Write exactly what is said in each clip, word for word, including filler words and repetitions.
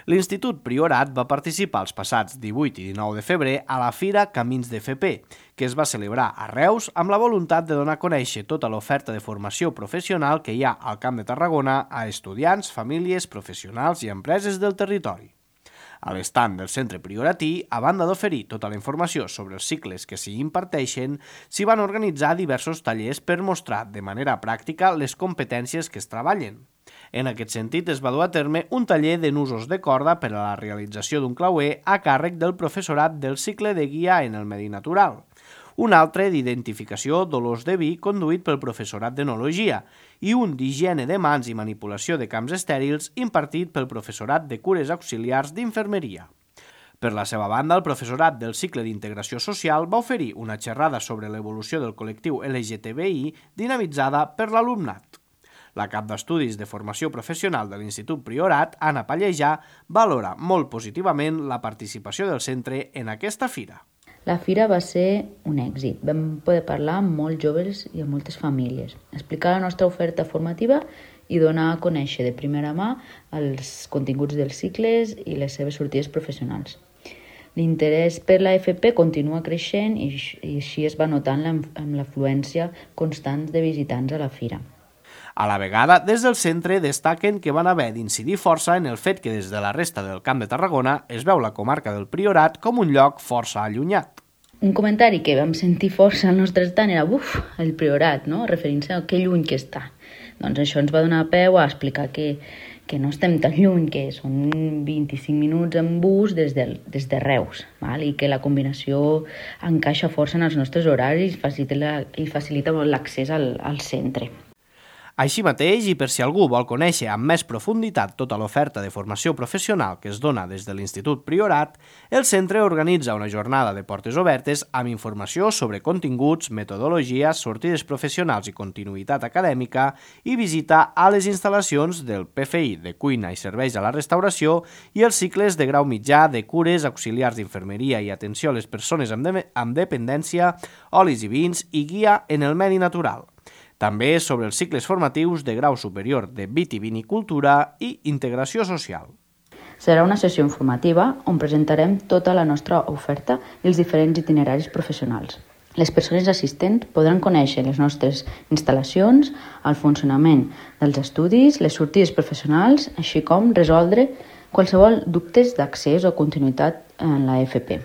L'Institut Priorat va participar els passats divuit i dinou de febrer a la Fira Camins d'F P, que es va celebrar a Reus amb la voluntat de donar a conèixer tota l'oferta de formació professional que hi ha al Camp de Tarragona a estudiants, famílies, professionals i empreses del territori. A l'estand del Centre Prioratí, a banda d'oferir tota la informació sobre els cicles que s'hi imparteixen, s'hi van organitzar diversos tallers per mostrar de manera pràctica les competències que es treballen. En aquest sentit, es va dur a terme un taller de nusos de corda per a la realització d'un clauer a càrrec del professorat del cicle de guia en el medi natural, un altre d'identificació d'olors de vi conduït pel professorat d'enologia i un d'higiene de mans i manipulació de camps estèrils impartit pel professorat de cures auxiliars d'infermeria. Per la seva banda, el professorat del cicle d'integració social va oferir una xerrada sobre l'evolució del col·lectiu L G T B I dinamitzada per l'alumnat. La cap d'Estudis de Formació Professional de l'Institut Priorat, Anna Pallejà, valora molt positivament la participació del centre en aquesta fira. La fira va ser un èxit. Vam poder parlar amb molts joves i amb moltes famílies, explicar la nostra oferta formativa i donar a conèixer de primera mà els continguts dels cicles i les seves sortides professionals. L'interès per la F P continua creixent i així es va notant amb l'afluència constant de visitants a la fira. A la vegada, des del centre destaquen que van haver d'incidir força en el fet que des de la resta del Camp de Tarragona es veu la comarca del Priorat com un lloc força allunyat. Un comentari que vam sentir força al nostre estant era «Uf, el Priorat», no? Referint-se a que lluny que està. Doncs això ens va donar peu a explicar que, que no estem tan lluny, que són vint-i-cinc minuts en bus des de, des de Reus, val? I que la combinació encaixa força en els nostres horaris i facilita, i facilita molt l'accés al, al centre. Així mateix, i per si algú vol conèixer amb més profunditat tota l'oferta de formació professional que es dona des de l'Institut Priorat, el centre organitza una jornada de portes obertes amb informació sobre continguts, metodologia, sortides professionals i continuïtat acadèmica i visita a les instal·lacions del P F I de cuina i serveis a la restauració i els cicles de grau mitjà de cures, auxiliars d'infermeria i atenció a les persones amb, de amb dependència, olis i vins i guia en el medi natural. També sobre els cicles formatius de grau superior de vitivinicultura i integració social. Serà una sessió informativa on presentarem tota la nostra oferta i els diferents itineraris professionals. Les persones assistents podran conèixer les nostres instal·lacions, el funcionament dels estudis, les sortides professionals, així com resoldre qualsevol dubtes d'accés o continuïtat en la F P.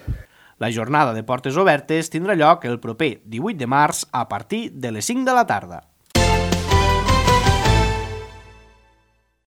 La jornada de portes obertes tindrà lloc el proper divuit de març a partir de les cinc de la tarda.